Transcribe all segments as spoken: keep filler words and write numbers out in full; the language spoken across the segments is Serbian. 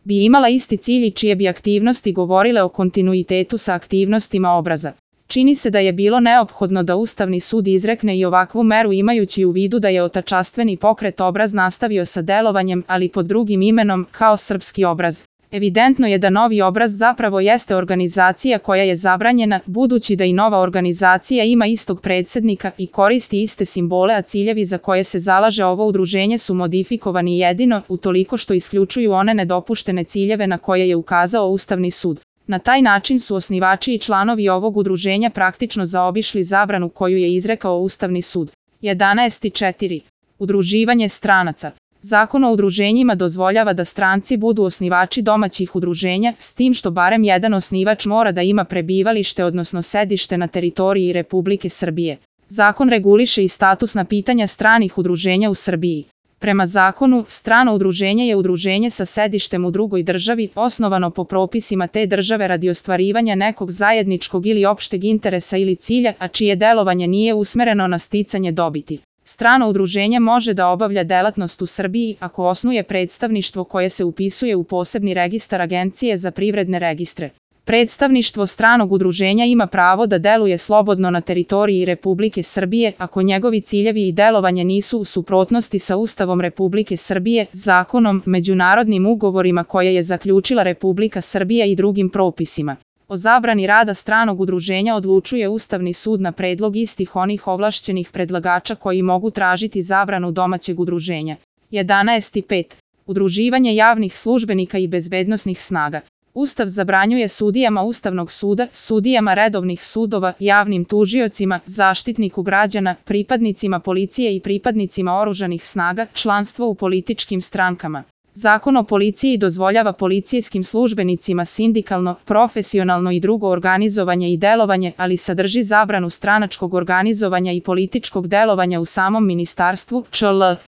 bi imala isti cilj i čije bi aktivnosti govorile o kontinuitetu sa aktivnostima obraza. Čini se da je bilo neophodno da Ustavni sud izrekne i ovakvu meru imajući u vidu da je otačastveni pokret Obraz nastavio sa delovanjem, ali pod drugim imenom, kao Srpski obraz. Evidentno je da Novi obraz zapravo jeste organizacija koja je zabranjena, budući da i nova organizacija ima istog predsjednika i koristi iste simbole, a ciljevi za koje se zalaže ovo udruženje su modifikovani jedino utoliko što isključuju one nedopuštene ciljeve na koje je ukazao Ustavni sud. Na taj način su osnivači i članovi ovog udruženja praktično zaobišli zabranu koju je izrekao Ustavni sud. jedanaest četiri. Udruživanje stranaca. Zakon o udruženjima dozvoljava da stranci budu osnivači domaćih udruženja, s tim što barem jedan osnivač mora da ima prebivalište odnosno sedište na teritoriji Republike Srbije. Zakon reguliše i statusna pitanja stranih udruženja u Srbiji. Prema zakonu, strano udruženje je udruženje sa sedištem u drugoj državi, osnovano po propisima te države radi ostvarivanja nekog zajedničkog ili opšteg interesa ili cilja, a čije delovanje nije usmereno na sticanje dobiti. Strano udruženje može da obavlja delatnost u Srbiji ako osnuje predstavništvo koje se upisuje u posebni registar Agencije za privredne registre. Predstavništvo stranog udruženja ima pravo da deluje slobodno na teritoriji Republike Srbije ako njegovi ciljevi i delovanje nisu u suprotnosti sa Ustavom Republike Srbije, zakonom, međunarodnim ugovorima koje je zaključila Republika Srbija i drugim propisima. O zabrani rada stranog udruženja odlučuje Ustavni sud na predlog istih onih ovlašćenih predlagača koji mogu tražiti zabranu domaćeg udruženja. jedanaest pet. Udruživanje javnih službenika i bezbednosnih snaga. Ustav zabranjuje sudijama Ustavnog suda, sudijama redovnih sudova, javnim tužiocima, zaštitniku građana, pripadnicima policije i pripadnicima oružanih snaga članstvo u političkim strankama. Zakon o policiji dozvoljava policijskim službenicima sindikalno, profesionalno i drugo organizovanje i delovanje, ali sadrži zabranu stranačkog organizovanja i političkog delovanja u samom ministarstvu, čl.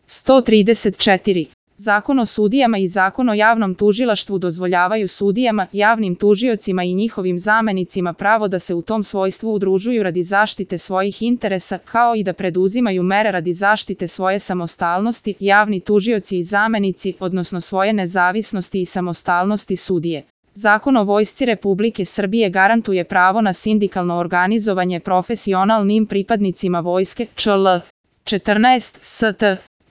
sto trideset četiri. Zakon o sudijama i Zakon o javnom tužilaštvu dozvoljavaju sudijama, javnim tužiocima i njihovim zamenicima pravo da se u tom svojstvu udružuju radi zaštite svojih interesa, kao i da preduzimaju mere radi zaštite svoje samostalnosti, javni tužioci i zamenici, odnosno svoje nezavisnosti i samostalnosti sudije. Zakon o Vojsci Republike Srbije garantuje pravo na sindikalno organizovanje profesionalnim pripadnicima vojske, čl. četrnaest st.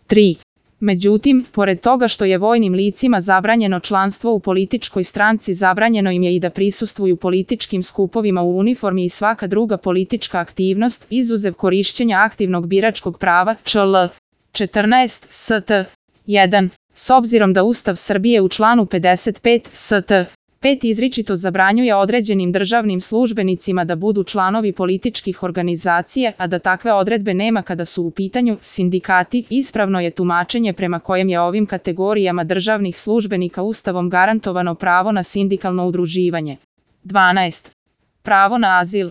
tri. Međutim, pored toga što je vojnim licima zabranjeno članstvo u političkoj stranci, zabranjeno im je i da prisustvuju političkim skupovima u uniformi i svaka druga politička aktivnost, izuzev korišćenja aktivnog biračkog prava, čl. četrnaest st. jedan. S obzirom da Ustav Srbije u članu pedeset pet st. pet izričito zabranjuje određenim državnim službenicima da budu članovi političkih organizacija, a da takve odredbe nema kada su u pitanju sindikati, ispravno je tumačenje prema kojem je ovim kategorijama državnih službenika Ustavom garantovano pravo na sindikalno udruživanje. dvanaest. Pravo na azil.